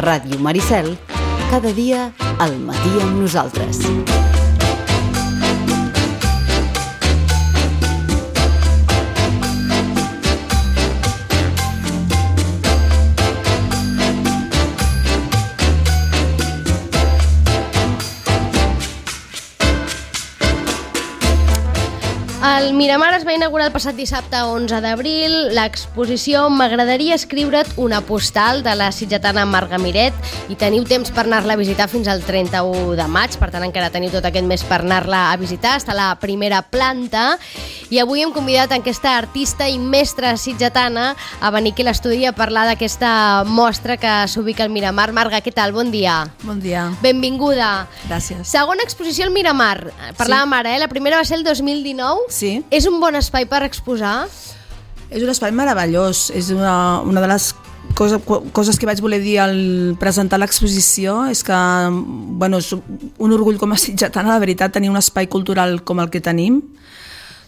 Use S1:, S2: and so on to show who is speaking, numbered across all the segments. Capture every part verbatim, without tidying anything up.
S1: Ràdio Maricel, cada dia al matí amb nosaltres.
S2: El Miramar es va inaugurar el passat dissabte onze d'abril. L'exposició M'agradaria escriure't una postal de la sitgetana Marga Miret, i teniu temps per anar-la a visitar fins al trenta-u de maig, per tant encara teniu tot aquest mes per anar-la a visitar. Està a la primera planta i avui hem convidat aquesta artista i mestra sitgetana a venir aquí a l'estudi a parlar d'aquesta mostra que s'ubica al Miramar. Marga, què tal? Bon dia.
S3: Bon dia.
S2: Benvinguda.
S3: Gràcies.
S2: Segona exposició al Miramar. Parlàvem
S3: Sí.
S2: ara, eh? La primera va ser el dos mil dinou.
S3: Sí.
S2: És un bon espai per exposar?
S3: És un espai meravellós. És una, una de les coses, coses que vaig voler dir al presentar l'exposició, és que, bueno, és un orgull com a sitgetana, la veritat, tenir un espai cultural com el que tenim,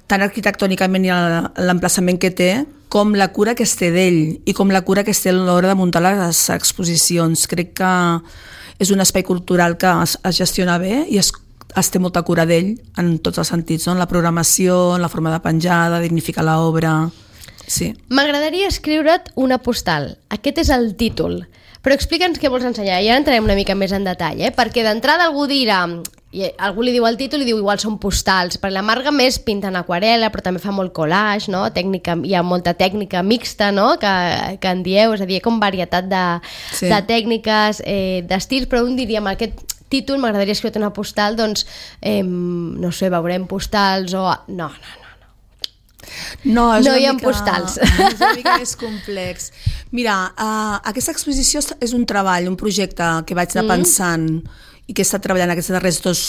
S3: tant arquitectònicament i l'emplaçament que té, com la cura que es té d'ell i com la cura que es té a l'hora de muntar les exposicions. Crec que és un espai cultural que es, es gestiona bé i es es té molta cura d'ell en tots els sentits, no? En la programació, en la forma de penjar, de dignificar l'obra. Sí.
S2: M'agradaria escriure't una postal. Aquest és el títol. Però explica'ns què vols ensenyar, i ara entrarem una mica més en detall, eh? Perquè d'entrada algú dirà, i algú li diu el títol i diu igual són postals, perquè la Marga més pinta en aquarel·la, però també fa molt collage, no? Tècnica, hi ha molta tècnica mixta, no? Que, que en dieu, és a dir, com varietat de,
S3: Sí.
S2: de tècniques, eh, d'estils, però un diria amb aquest títol M'agradaria escriure una postal, doncs, eh, no sé, veurem postals o... No, no, no.
S3: No, és
S2: No
S3: una
S2: hi ha
S3: mica,
S2: postals.
S3: És una mica més complex. Mira, uh, aquesta exposició és un treball, un projecte que vaig anar
S2: Mm.
S3: pensant i que he estat treballant aquests darrers dos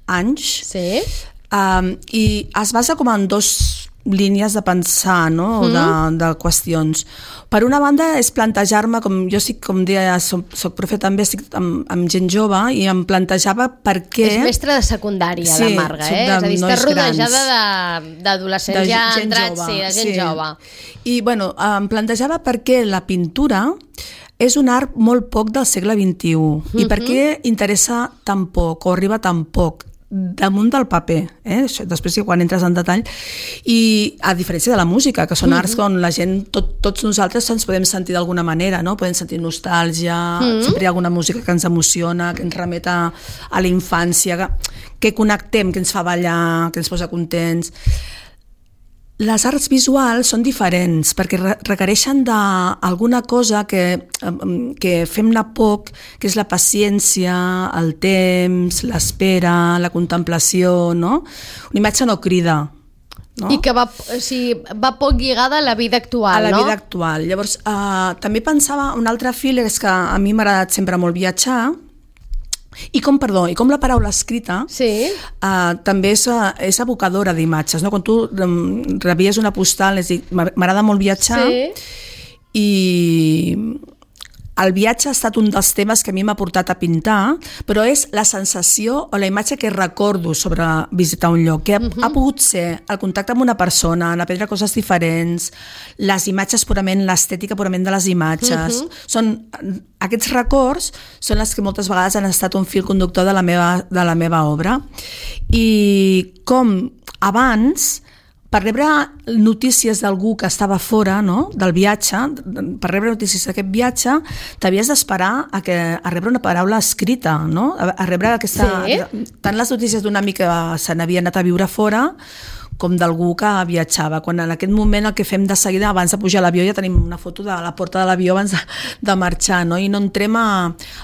S3: anys.
S2: Sí?
S3: Um, I es basa com en dos línies de pensar, no?
S2: Mm.
S3: de, de qüestions. Per una banda és plantejar-me, com jo sí, com deia, soc, soc profe també, estic amb, amb gent jove, i em plantejava per què...
S2: És mestra de secundària,
S3: Sí,
S2: la Marga,
S3: soc
S2: eh?
S3: de
S2: És a dir, està
S3: nois
S2: rodejada de- d'adolescents
S3: de
S2: ja
S3: gent
S2: entrats,
S3: jove,
S2: sí, de gent
S3: sí.
S2: jove.
S3: I bueno, em plantejava per què la pintura és un art molt poc del segle vint-i-u i per què interessa tan poc o arriba tan poc damunt del paper, eh? Això, després sí, quan entres en detall, i a diferència de la música, que són arts on la gent, tot, tots nosaltres ens podem sentir d'alguna manera, no? Podem sentir nostàlgia, mm. sempre hi ha alguna música que ens emociona, que ens remet a, a la infància, que, que connectem, que ens fa ballar, que ens posa contents. Les arts visuals són diferents perquè re requereixen d'alguna cosa que, que fem anar poc, que és la paciència, el temps, l'espera, la contemplació, no? Una imatge no crida, no?
S2: I que va, o sigui, va poc lligada a la vida actual,
S3: a la
S2: no?
S3: vida actual. Llavors, uh, també pensava, un altre fil és que a mi m'ha agradat sempre molt viatjar, i com, perdó, i com la paraula escrita
S2: Sí.
S3: uh, també és, uh, és evocadora d'imatges, no? Quan tu um, rebies una postal, és dir, m'agrada molt viatjar,
S2: Sí.
S3: i el viatge ha estat un dels temes que a mi m'ha portat a pintar, però és la sensació o la imatge que recordo sobre visitar un lloc, que ha, uh-huh. ha pogut ser el contacte amb una persona, en aprendre coses diferents, les imatges purament, l'estètica purament de les imatges. Uh-huh. Són, aquests records són les que moltes vegades han estat un fil conductor de la meva, de la meva obra. I com abans, per rebre notícies d'algú que estava fora, no?, del viatge, per rebre notícies d'aquest viatge, t'havies d'esperar a, que, a rebre una paraula escrita, no?, a, a rebre aquesta...
S2: Sí.
S3: Tant les notícies d'un amic que se n'havia anat a viure fora, com d'algú que viatjava. Quan en aquest moment el que fem de seguida, abans de pujar a l'avió, ja tenim una foto de la porta de l'avió abans de, de marxar, no? I no entrem a,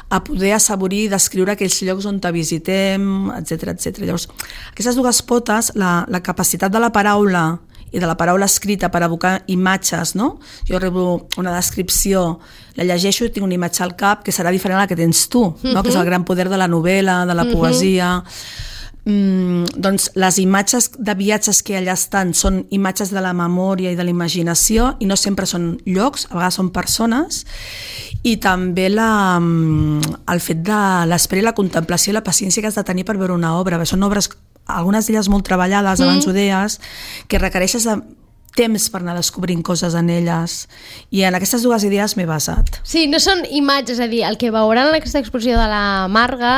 S3: a poder assaborir i descriure aquells llocs on te visitem, etcètera, etcètera. Llavors, aquestes dues potes, la, la capacitat de la paraula i de la paraula escrita per evocar imatges, no? Jo rebo una descripció, la llegeixo i tinc una imatge al cap que serà diferent a la que tens tu, no? Uh-huh. Que és el gran poder de la novel·la, de la uh-huh. poesia... Mm, doncs les imatges de viatges que allà estan són imatges de la memòria i de la imaginació i no sempre són llocs, a vegades són persones, i també la, el fet de l'espera i la contemplació i la paciència que has de tenir per veure una obra. Són obres, algunes d'elles molt treballades, abans mm. ho deies, que requereixes de temps per anar descobrint coses en elles, i en aquestes dues idees m'he basat.
S2: Sí, no són imatges, és a dir, el que veuran en aquesta exposició de la Marga,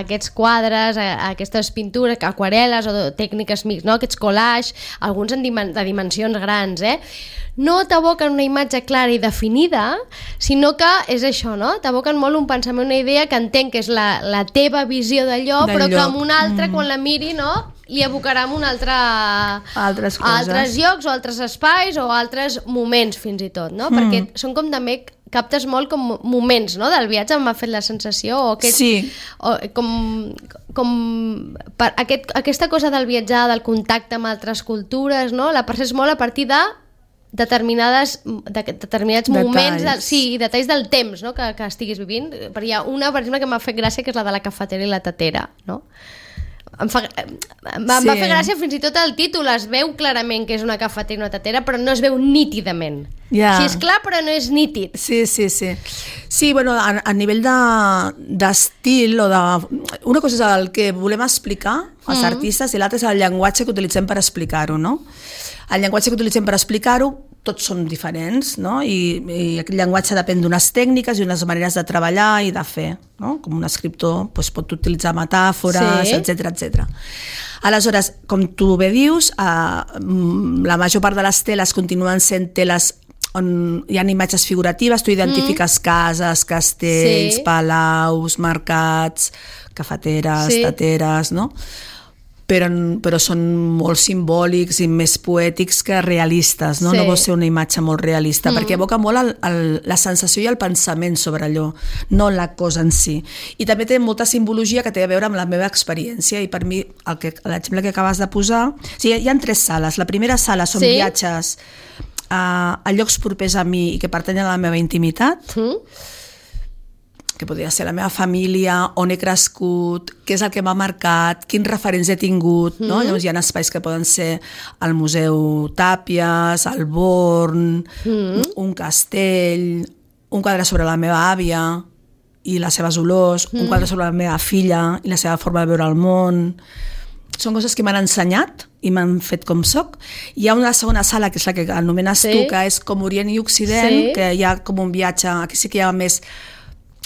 S2: aquests quadres, aquestes pintures, aquarel·les o tècniques mix, no? Aquests collages, alguns en dimen de dimensions grans, eh? No t'aboquen una imatge clara i definida, sinó que és això, no? T'aboquen molt un pensament, una idea que entenc que és la, la teva visió d'allò, però lloc. Que amb una altra, mm. quan la miri, no?, li abocarà amb un altre...
S3: Altres coses.
S2: Altres llocs o altres espais o altres moments, fins i tot, no? Mm. Perquè són com també... captes molt com moments, no?, del viatge, m'ha fet la sensació, o, aquest,
S3: sí.
S2: o com, com per aquest, aquesta cosa del viatjar, del contacte amb altres cultures, no?, la percebes molt a partir de determinades, de, determinats detalls. moments, de, sí, detalls del temps, no?, que, que estiguis vivint. Però hi ha una, per exemple, que m'ha fet gràcia, que és la de la cafetera i la tatera, no? Em, fa, em va, sí. va fer gràcia fins i tot el títol, es veu clarament que és una cafetera i una tatera, però no es veu nítidament.
S3: Yeah.
S2: Sí, és clar, però no és nítid.
S3: Sí, sí, sí. Sí, bueno, a, a nivell d'estil, de, o de... Una cosa és el que volem explicar als mm. artistes i l'altra és el llenguatge que utilitzem per explicar-ho, no? El llenguatge que utilitzem per explicar-ho, tots són diferents, no? I, i aquest llenguatge depèn d'unes tècniques i unes maneres de treballar i de fer, no? Com un escriptor doncs, pot utilitzar metàfores, sí. etcètera, etcètera. Aleshores, com tu bé dius, eh, la major part de les teles continuen sent teles on hi ha imatges figuratives, tu identifiques mm. cases, castells, sí. palaus, mercats, cafeteres, sí. tateres, no? Però, però són molt simbòlics i més poètics que realistes, no? Sí. No vol ser una imatge molt realista, mm. perquè evoca molt el, el, la sensació i el pensament sobre allò, no la cosa en si. I també té molta simbologia que té a veure amb la meva experiència, i per mi l'exemple que acabes de posar... O sigui, hi ha tres sales. La primera sala són sí. viatges a, a llocs propers a mi i que pertanyen a la meva intimitat, mm. que podria ser la meva família, on he crescut, què és el que m'ha marcat, quins referents he tingut, no? Mm. Llavors hi ha espais que poden ser el Museu Tàpies, el Born, mm. un castell, un quadre sobre la meva àvia i les seves olors, mm. un quadre sobre la meva filla i la seva forma de veure el món. Són coses que m'han ensenyat i m'han fet com soc. Hi ha una segona sala, que és la que anomenes sí. tu, que és com Orient i Occident, sí. que hi ha com un viatge, aquí sí que hi ha més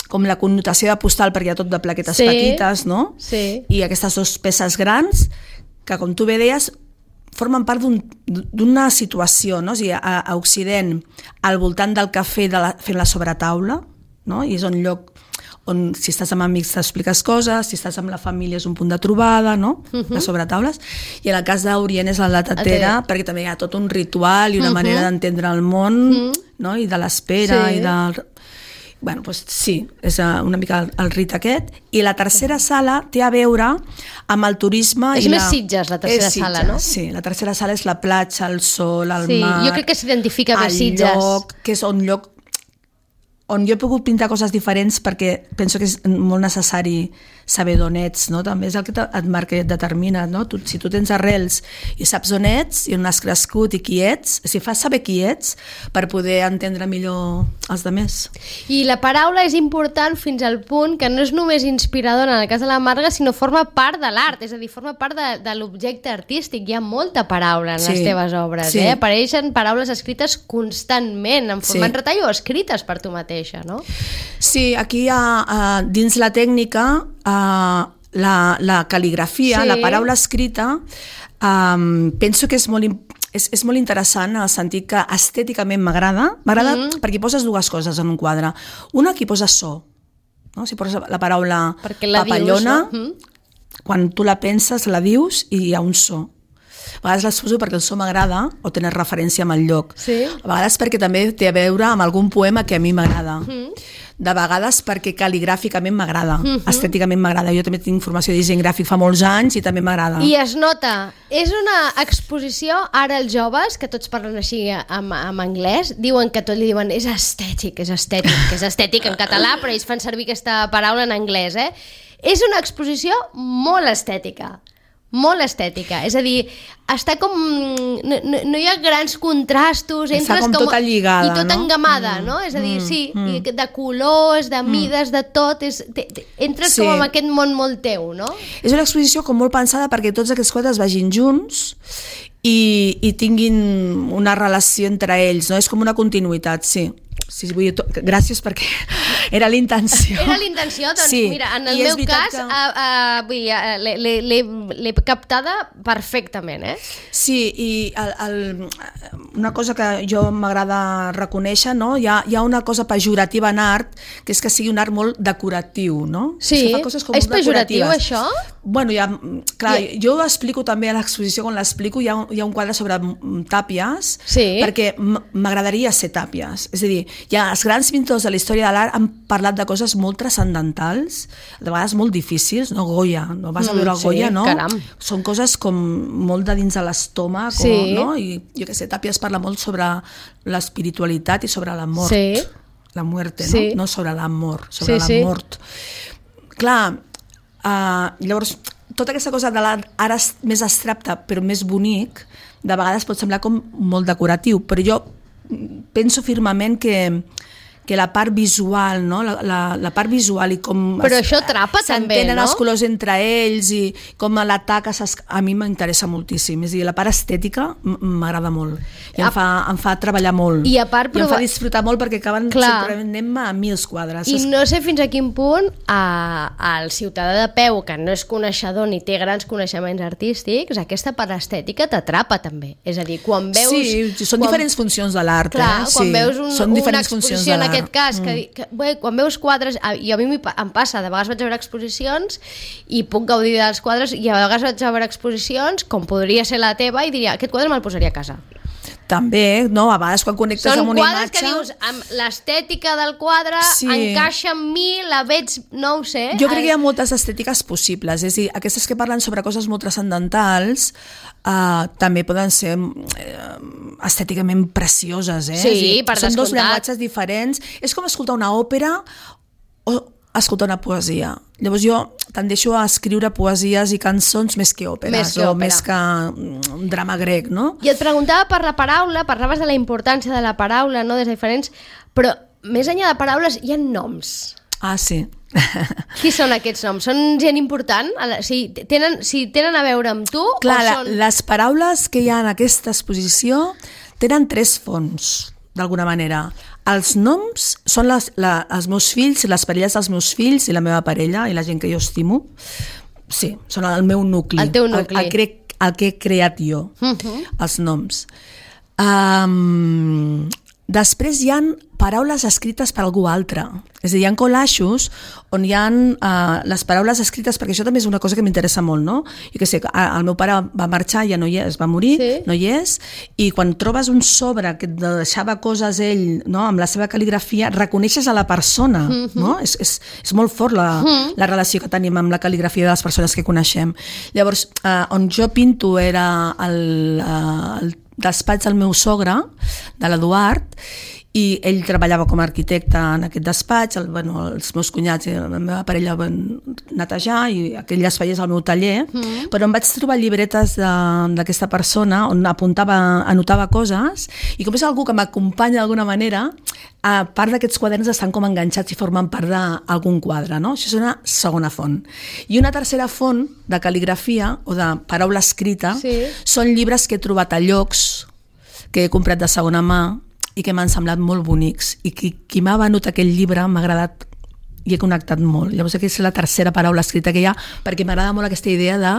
S3: com la connotació de postal, perquè hi ha tot de plaquetes sí, petites, no?
S2: Sí.
S3: I aquestes dues peces grans, que com tu bé deies, formen part d'una un, situació, no? O sigui, a, a Occident, al voltant del cafè de la, fent la sobretaula, no? I és un lloc on, si estàs amb amics, t'expliques coses, si estàs amb la família és un punt de trobada, no? Uh -huh. Les sobretaules. I en el cas d'Orient és la tatera, okay. perquè també hi ha tot un ritual i una uh -huh. manera d'entendre el món, uh -huh. no? I de l'espera, sí. i del... Bueno, doncs sí, és una mica el, el rit aquest. I la tercera sala té a veure amb el turisme...
S2: És
S3: i
S2: més
S3: la...
S2: Sitges, la tercera
S3: Sitges,
S2: sala, no?
S3: Sí, la tercera sala és la platja, el sol, el
S2: sí,
S3: mar...
S2: Jo crec que s'identifica més Sitges.
S3: El lloc, que és un lloc on jo he pogut pintar coses diferents perquè penso que és molt necessari saber d'on ets, no? També és el que et marca i et determina, no? Tu, si tu tens arrels i saps on ets i on has crescut i qui ets, si fas saber qui ets per poder entendre millor els altres.
S2: I la paraula és important fins al punt que no és només inspiradora en el cas de la Marga, sinó forma part de l'art, és a dir, forma part de, de l'objecte artístic. Hi ha molta paraula en sí, les teves obres, sí. eh? Apareixen paraules escrites constantment, en format sí. retall o escrites per tu mateixa, no?
S3: Sí, aquí hi ha, uh, dins la tècnica, Uh, la, la cal·ligrafia, sí. la paraula escrita, um, penso que és molt, és, és molt interessant en el sentit que estèticament m'agrada, m'agrada mm. perquè poses dues coses en un quadre. Una, que posa so, no? Si poses la paraula la papallona, dius, no? Quan tu la penses, la dius i hi ha un so. A vegades les poso perquè el so m'agrada o tenen referència amb el lloc. Sí. A vegades perquè també té a veure amb algun poema que a mi m'agrada. Mm. De vegades perquè cal·ligràficament m'agrada, mm-hmm. estèticament m'agrada. Jo també tinc formació de disseny gràfic fa molts anys i també m'agrada.
S2: I es nota. És una exposició, ara els joves, que tots parlen així en, en anglès, diuen que tot li diuen és estètic, és estètic, que és estètic en català, però ells fan servir aquesta paraula en anglès, eh? És una exposició molt estètica. Molt estètica, és a dir, està com... No, no, no hi ha grans contrastos,
S3: està com, com tota lligada,
S2: i tota
S3: no?
S2: engamada,
S3: mm,
S2: no? És a dir,
S3: mm,
S2: sí,
S3: mm.
S2: de colors, de mides, mm. de tot, és, te, te, entres sí. com en aquest món molt teu, no?
S3: És una exposició com molt pensada perquè tots aquests quadres vagin junts i, i tinguin una relació entre ells, no? És com una continuïtat, sí. Sí, vull dir, to... gràcies perquè era l'intenció.
S2: Era l'intenció, doncs
S3: sí.
S2: Mira, en el meu cas que... uh, uh, vull dir, uh, l'he captada perfectament, eh?
S3: Sí, i el, el, una cosa que jo m'agrada reconèixer, no? Hi ha, hi ha una cosa pejorativa en art, que és que sigui un art molt decoratiu, no?
S2: Sí, és, coses com és pejoratiu això?
S3: Bueno, ja, clar, I... jo ho explico també a l'exposició, quan l'explico hi, ha, hi ha un quadre sobre tàpies,
S2: sí.
S3: perquè m'agradaria ser tàpies, és a dir, ja els grans pintors de la història de l'art han parlat de coses molt transcendentals, de vegades molt difícils, no? Goya, no vas a veure el
S2: mm,
S3: Goya,
S2: sí,
S3: no?
S2: Caram.
S3: Són coses com molt de dins de l'estómac,
S2: sí.
S3: no? I jo què sé, Tàpies parla molt sobre l'espiritualitat i sobre la mort,
S2: sí.
S3: la muerte,
S2: sí.
S3: no? No sobre l'amor, sobre
S2: sí,
S3: la
S2: sí.
S3: mort. Clar, uh, llavors, tota aquesta cosa de l'art ara més abstracte però més bonic, de vegades pot semblar com molt decoratiu, però jo penso firmament que que la part visual, no? la, la, la part visual i com
S2: però això atrapa també, no?
S3: els colors entre ells i com la taca a mi m'interessa moltíssim, és a dir, la part estètica m'agrada molt i em fa, em fa treballar molt
S2: i, a part,
S3: i em fa disfrutar molt perquè acaben sorprenent-me a mils quadres
S2: i no sé fins a quin punt al ciutadà de peu que no és coneixedor ni té grans coneixements artístics, aquesta part estètica t'atrapa també, és a dir, quan veus
S3: sí, són quan, diferents funcions de l'art
S2: clar,
S3: eh?
S2: quan
S3: sí,
S2: veus un,
S3: són
S2: una exposició en aquest cas,
S3: mm.
S2: que, que bé, quan veus quadres, i a mi em passa, de vegades vaig a veure exposicions i puc gaudir dels quadres, i a vegades vaig a veure exposicions com podria ser la teva i diria, aquest quadre me'l posaria a casa.
S3: També, no? A vegades quan connectes
S2: són
S3: amb una
S2: quadres
S3: imatge...
S2: que dius, amb l'estètica del quadre sí. encaixa amb mi, la veig, no ho sé.
S3: Jo crec que hi ha moltes estètiques possibles, és a dir, aquestes que parlen sobre coses molt transcendentals uh, també poden ser uh, estèticament precioses, eh?
S2: Sí,
S3: dir,
S2: per
S3: són
S2: descomptat.
S3: Dos llenguatges diferents. És com escoltar una òpera o escoltar una poesia. Llavors jo tendeixo a escriure poesies i cançons més que òperes
S2: més que
S3: o
S2: òpera.
S3: més que un drama grec, no?
S2: I et preguntava per la paraula, parlaves de la importància de la paraula, no, des de diferents, però més enllà de paraules hi ha noms.
S3: Ah, sí.
S2: Qui són aquests noms? Són gent important? Si tenen, si tenen a veure amb tu?
S3: Clar,
S2: o són...
S3: les paraules que hi ha en aquesta exposició tenen tres fonts, d'alguna manera. Els noms són les, la, els meus fills, les parelles dels meus fills i la meva parella i la gent que jo estimo. Sí, són el meu nucli.
S2: El teu nucli.
S3: El, el, que, el que he creat jo, uh-huh. els noms. Um, després hi ha paraules escrites per algú altre. És a dir, hi ha collaixos on hi ha uh, les paraules escrites, perquè això també és una cosa que m'interessa molt, no? Jo què sé, el meu pare va marxar, ja no hi és, va morir, sí. no hi és, i quan trobes un sobre que deixava coses ell, no? Amb la seva cal·ligrafia, reconeixes a la persona, mm-hmm. no? És, és, és molt fort la, mm-hmm. la relació que tenim amb la cal·ligrafia de les persones que coneixem. Llavors, uh, on jo pinto era el, uh, el despatx del meu sogre, de l'Eduard, i ell treballava com a arquitecte en aquest despatx, el, bueno, els meus cunyats i la meva parella van netejar i aquell espai és el meu taller, mm. però em vaig trobar llibretes d'aquesta persona on apuntava, anotava coses, i com és algú que m'acompanya d'alguna manera, a part d'aquests quaderns estan com enganxats i formen part d'algun quadre, no? Això és una segona font. I una tercera font de cal·ligrafia o de paraula escrita sí. són llibres que he trobat a llocs, que he comprat de segona mà, i que m'han semblat molt bonics, i qui, qui m'ha venut aquell llibre m'ha agradat i he connectat molt. Llavors aquesta és la tercera paraula escrita que hi ha, perquè m'agrada molt aquesta idea de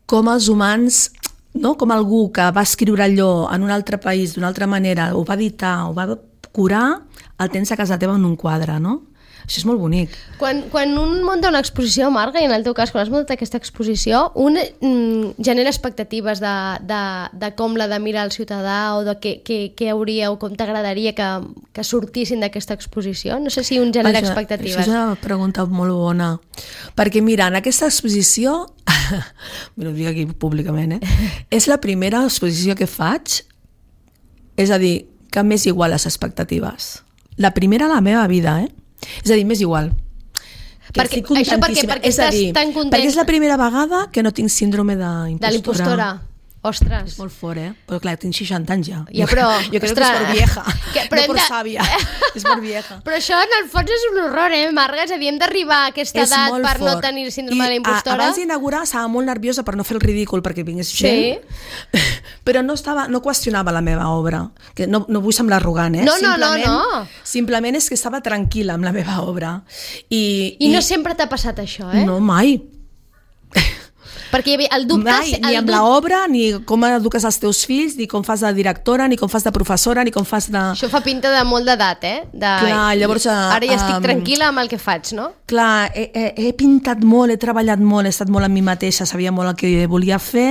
S3: com els humans, no? Com algú que va escriure allò en un altre país d'una altra manera, ho va editar, ho va curar, el tens a casa teva en un quadre, no? Això és molt bonic.
S2: Quan, quan un munta una exposició, Marga, i en el teu cas, quan has muntat aquesta exposició, un mm, genera expectatives de, de, de com l'ha de mirar el ciutadà o de què, què, què hauria o com t'agradaria que, que sortissin d'aquesta exposició? No sé si un genera això, expectatives.
S3: Això és una pregunta molt bona. Perquè, mira, en aquesta exposició, mira, ho dic aquí públicament, eh? és la primera exposició que faig, és a dir, que m'és igual les expectatives. La primera a la meva vida, eh? És a dir, m'és igual.
S2: Perquè, això perquè, perquè
S3: és
S2: estàs
S3: dir,
S2: tan content...
S3: Perquè és la primera vegada que no tinc síndrome d'impostora.
S2: De l'impostora. Ostres.
S3: És molt fort, eh? Però clar, tinc seixanta anys ja.
S2: Ja, però...
S3: Jo crec
S2: ostres,
S3: que és per vieja,
S2: que, però
S3: no per
S2: de...
S3: sàvia. És per vieja.
S2: Però això en el fons és un horror, eh, Marga? És a dir, hem d'arribar a aquesta
S3: és
S2: edat per
S3: fort.
S2: no tenir síndrome
S3: I
S2: de la impostora.
S3: Abans d'inaugurar estava molt nerviosa per no fer el ridícul perquè vingués
S2: sí.
S3: gent, però no, estava, no qüestionava la meva obra. Que no, no vull semblar arrogant, eh?
S2: No, no,
S3: simplement,
S2: no, no.
S3: Simplement és que estava tranquil·la amb la meva obra. I,
S2: I
S3: i
S2: no sempre t'ha passat això, eh?
S3: No, mai.
S2: Perquè hi havia el dubte...
S3: Mai,
S2: el
S3: ni amb
S2: dubte...
S3: l'obra, ni com eduques els teus fills, ni com fas de directora, ni com fas de professora, ni com fas de...
S2: Això fa pinta de molt d'edat, eh? De...
S3: Clar, llavors...
S2: Ara ja estic
S3: um,
S2: tranquil·la amb el que faig, no?
S3: Clar, he, he, he pintat molt, he treballat molt, he estat molt amb mi mateixa, sabia molt el que volia fer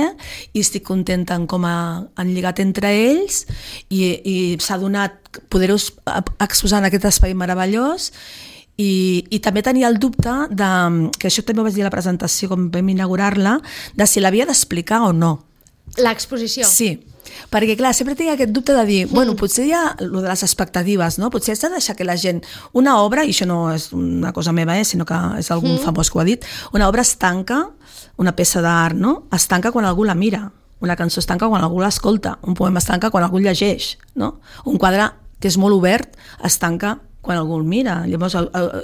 S3: i estic contenta en com ha, han lligat entre ells i, i s'ha donat poder-ho exposar en aquest espai meravellós. I, i també tenia el dubte de, que això també ho vaig dir a la presentació com vam inaugurar-la, de si l'havia d'explicar o no.
S2: L'exposició?
S3: Sí, perquè clar, sempre tinc aquest dubte de dir, mm. bueno, potser hi ha el de les expectatives, no? Potser has de deixar que la gent, una obra, i això no és una cosa meva, eh, sinó que és algun mm. famós que ho ha dit, una obra es tanca, una peça d'art, no? Es tanca quan algú la mira, una cançó es tanca quan algú l'escolta, un poema es tanca quan algú llegeix, no? Un quadre que és molt obert es tanca quan algú el mira. Llavors,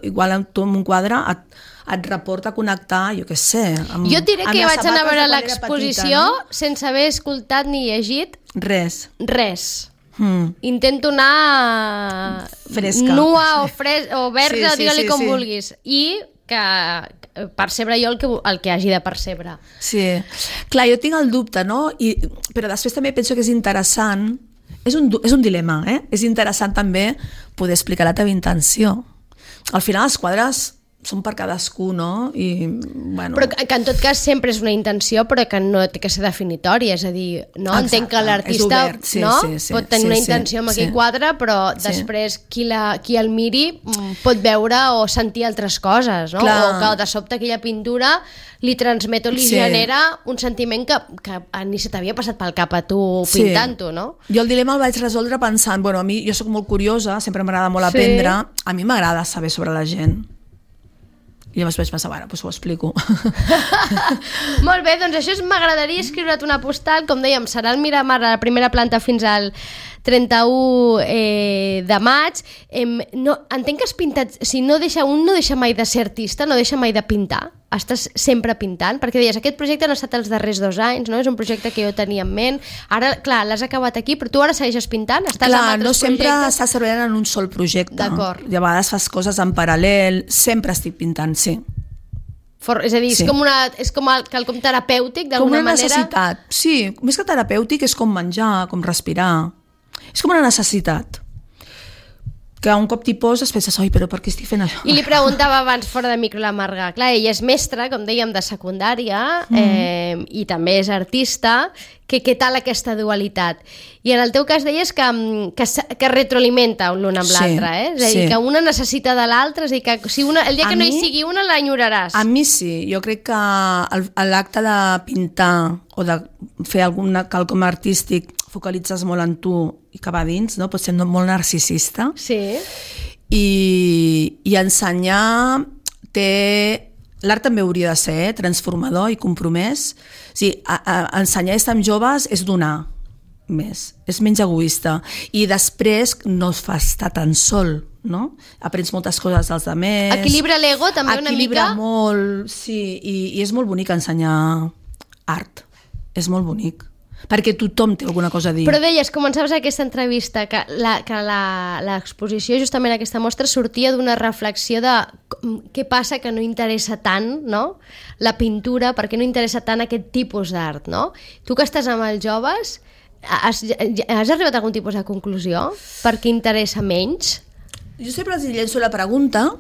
S3: igual tu amb un quadre et, et reporta a connectar, jo què sé, amb,
S2: jo et diré que vaig anar a veure l'exposició
S3: no?
S2: sense haver escoltat ni llegit
S3: res.
S2: Res.
S3: Hmm.
S2: Intento anar
S3: fresca.
S2: Nua o, fres o verda,
S3: sí, sí,
S2: digue-li
S3: sí,
S2: com
S3: sí.
S2: vulguis. I que percebre jo el que, el que hagi de percebre.
S3: Sí. Clar, jo tinc el dubte, no? I, però després també penso que és interessant. És un, és un dilema, eh? És interessant també poder explicar la teva intenció. Al final els quadres són per cadascú, no? I, bueno...
S2: Però que, que en tot cas sempre és una intenció, però que no té que ser definitòria, és a dir, no?
S3: Exacte,
S2: entenc que l'artista
S3: sí,
S2: no?
S3: sí, sí,
S2: pot tenir
S3: sí,
S2: una
S3: sí,
S2: intenció amb
S3: sí,
S2: aquell quadre, però
S3: sí.
S2: després qui, la, qui el miri pot veure o sentir altres coses, no?
S3: Clar.
S2: O que de sobte aquella pintura li transmet o li
S3: sí.
S2: genera un sentiment que, que ni se t'havia passat pel cap a tu sí. pintant-ho, no?
S3: Jo el dilema el vaig resoldre pensant, bueno, a mi jo sóc molt curiosa, sempre m'agrada molt aprendre, sí. A mi m'agrada saber sobre la gent. I llavors vaig pensar, bueno, doncs ho explico.
S2: Molt bé, doncs això és m'agradaria escriure't una postal, com dèiem, serà al Miramar a la primera planta fins al trenta-u eh, de maig. Eh, no, entenc que has pintat, si no deixa, un no deixa mai de ser artista, no deixa mai de pintar, estàs sempre pintant, perquè deies, aquest projecte no ha estat els darrers dos anys, no? És un projecte que jo tenia en ment, ara, clar, l'has acabat aquí, però tu ara segueixes pintant? Estàs
S3: clar,
S2: amb altres
S3: no sempre
S2: projectes?
S3: estàs treballant en un sol projecte.
S2: D'acord.
S3: I a vegades fas coses en paral·lel, sempre estic pintant, sí.
S2: For, és a dir, sí. és com, una, és com el, quelcom terapèutic, d'alguna manera?
S3: Com una necessitat, sí. Més que terapèutic és com menjar, com respirar. És com una necessitat. Que un cop t'hi poses penses, oi, però per què estic fent això?
S2: I li preguntava abans fora de micro la Marga, clar, ella és mestra, com dèiem, de secundària, mm. eh, i també és artista, que què tal aquesta dualitat? I en el teu cas deies que, que, que retroalimenta l'un amb sí, l'altre, eh? És a dir, sí. que una necessita de l'altre, és a dir, que si una, el dia que a no mi, hi sigui una l'enyoraràs.
S3: A mi sí, jo crec que l'acte de pintar o de fer alguna quelcom artístic focalitzes molt en tu i que va dins, no? Pots ser molt narcisista.
S2: Sí.
S3: I, i ensenyar té... L'art també hauria de ser eh? transformador i compromès. O sigui, a, a, ensenyar a estar amb joves és donar més, és menys egoista. I després no es fa estar tan sol, no? Aprens moltes coses dels altres.
S2: Equilibra l'ego també una mica?
S3: Equilibra molt, sí, i, i és molt bonic ensenyar art. És molt bonic. Perquè tothom té alguna cosa a dir.
S2: Però deies, començaves aquesta entrevista, que l'exposició, justament aquesta mostra, sortia d'una reflexió de què passa que no interessa tant, no?, la pintura, per què no interessa tant aquest tipus d'art, no? Tu que estàs amb els joves, has, has arribat a algun tipus de conclusió? Per què interessa menys?
S3: Jo sempre els llenço la pregunta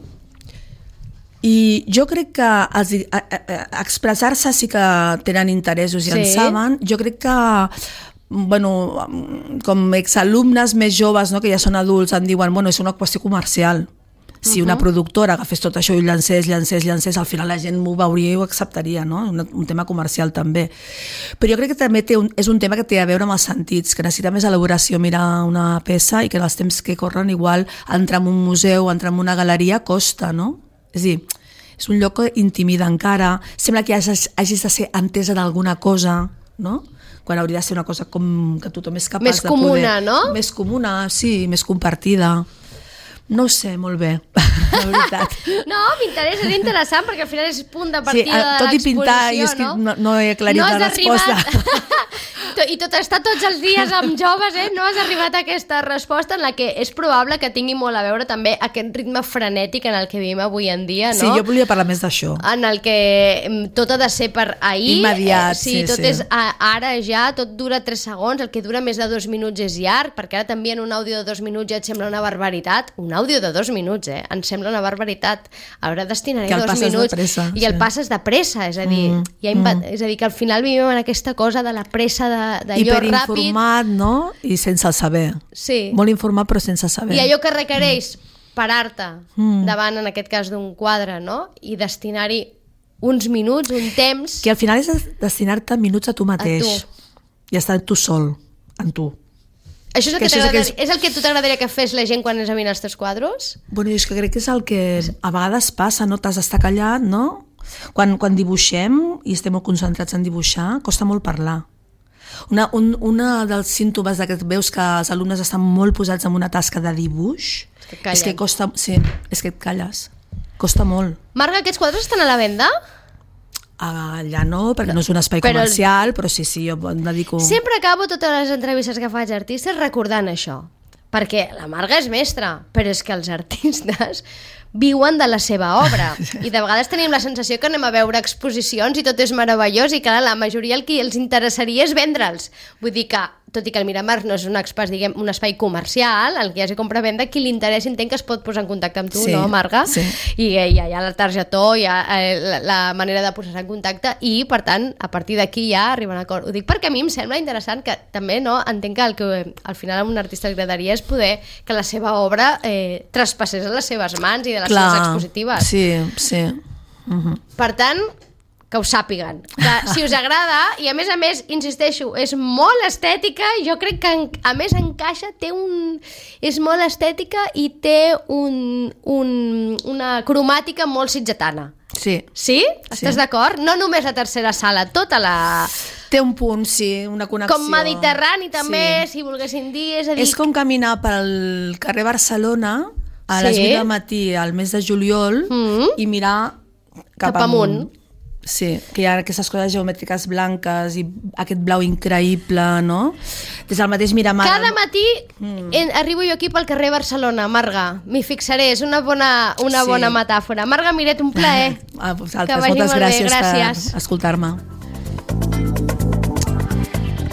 S3: i jo crec que els, a, a, a expressar-se sí que tenen interessos i sí. en saben. Jo crec que, bueno, com exalumnes més joves, no, que ja són adults, em diuen, bueno, és una qüestió comercial. Si uh-huh. una productora agafés tot això i llancés, llancés, llancés, al final la gent m'ho veuria i ho acceptaria, no? Un, un tema comercial també. Però jo crec que també té un, és un tema que té a veure amb els sentits, que necessita més elaboració mirar una peça i que en els temps que corren igual entrar en un museu, entrar en una galeria costa, no? És a dir, és un lloc que intimida encara, sembla que hagis, hagis de ser entesa d'alguna cosa, no? quan hauria de ser una cosa com que tothom és capaç
S2: més
S3: de
S2: comuna,
S3: poder...
S2: no?
S3: Més comuna, sí, més compartida. No ho sé, molt bé, la veritat.
S2: No, m'interessa, és interessant, perquè al final és punt de partida
S3: sí, tot
S2: de
S3: i pintar,
S2: l'exposició,
S3: és que
S2: no?
S3: no, no he aclarit
S2: no
S3: la resposta.
S2: I tot està tots els dies amb joves, eh? No has arribat a aquesta resposta en la que és probable que tingui molt a veure també aquest ritme frenètic en el que vivim avui en dia, no?
S3: Sí, jo volia parlar més d'això.
S2: En el que tot ha de ser per ahir.
S3: Immediat,
S2: eh, sí,
S3: sí,
S2: tot
S3: sí.
S2: és a, ara ja, tot dura tres segons, el que dura més de dos minuts és llarg, perquè ara t'envien un àudio de dos minuts ja et sembla una barbaritat. Un àudio de dos minuts, eh? Em sembla una barbaritat. Ara destinaré
S3: que el
S2: dos
S3: passes
S2: minuts.
S3: De pressa,
S2: I el
S3: sí.
S2: passes de pressa, és a dir,
S3: mm,
S2: ja inva...
S3: mm.
S2: és a dir, que al final vivim en aquesta cosa de la pressa d'allò ràpid.
S3: Hiperinformat, no? I sense el saber.
S2: Sí.
S3: Molt informat però sense saber.
S2: I allò que requereix mm. parar-te
S3: mm.
S2: davant, en aquest cas, d'un quadre, no? I destinar-hi uns minuts, un temps...
S3: Que al final és destinar-te minuts a tu mateix.
S2: A tu.
S3: I estar tu sol, en tu.
S2: Això és el que,
S3: que,
S2: que
S3: és...
S2: és el que tu t'agradaria que fes la gent quan és a mirar els teus quadros?
S3: Bueno, és que crec que és el que a vegades passa, no? T'has d'estar callat, no? Quan, quan dibuixem i estem molt concentrats en dibuixar, costa molt parlar. Una, un, una dels símptomes de que veus que els alumnes estan molt posats en una tasca de dibuix
S2: és que,
S3: és que costa, sí, és que et calles. Costa molt.
S2: Marga, aquests quadres estan a la venda?
S3: Allà no, perquè no és un espai
S2: però
S3: comercial, el... però sí, sí, jo em dedico...
S2: Sempre acabo totes les entrevistes que faig a artistes recordant això, perquè la Marga és mestra, però és que els artistes viuen de la seva obra i de vegades tenim la sensació que anem a veure exposicions i tot és meravellós i que la majoria el que els interessaria és vendre'ls. Vull dir que, tot i que el Miramar no és un espai, diguem, un espai comercial, el que hi hagi compra-venda, qui li interessa entenc que es pot posar en contacte amb tu,
S3: sí,
S2: no, Marga?
S3: Sí.
S2: I eh, hi ha ja el targetó, hi ha eh, la, la manera de posar-se en contacte i, per tant, a partir d'aquí ja arriben a acord. Ho dic perquè a mi em sembla interessant que també, no, entenc que el que al final a un artista li agradaria és poder que la seva obra eh, traspassés a les seves mans i de les
S3: Clar,
S2: seves expositives.
S3: Sí, sí. Uh-huh.
S2: Per tant, que ho sàpiguen. Que si us agrada, i a més a més, insisteixo, és molt estètica, jo crec que a més encaixa, té un... és molt estètica i té un, un, una cromàtica molt sitgetana.
S3: Sí.
S2: Sí? Estàs
S3: sí.
S2: d'acord? No només la tercera sala, tota la...
S3: Té un punt, sí, una connexió.
S2: Com mediterrani també,
S3: sí.
S2: si volguessin dir. És, a dir...
S3: és com caminar pel carrer Barcelona a sí. les vuit del matí al mes de juliol mm-hmm. i mirar cap,
S2: cap amunt.
S3: amunt. Sí, que hi ha aquestes coses geomètriques blanques i aquest blau increïble, no? Des del mateix Miramar...
S2: Cada matí mm. en, arribo jo aquí pel carrer Barcelona, Marga. M'hi fixaré, és una bona, una
S3: sí.
S2: bona metàfora. Marga Miret, un plaer.
S3: Ah, vosaltres, moltes gràcies, gràcies per escoltar-me.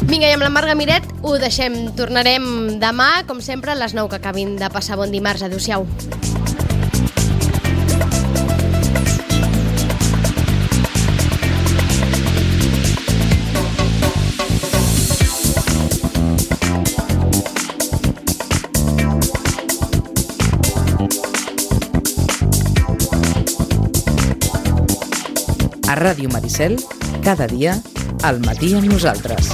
S2: Vinga, i amb la Marga Miret ho deixem. Tornarem demà, com sempre, a les nou que acabin de passar bon dimarts. Adéu-siau.
S4: A Ràdio Maricel, cada dia, al matí amb nosaltres.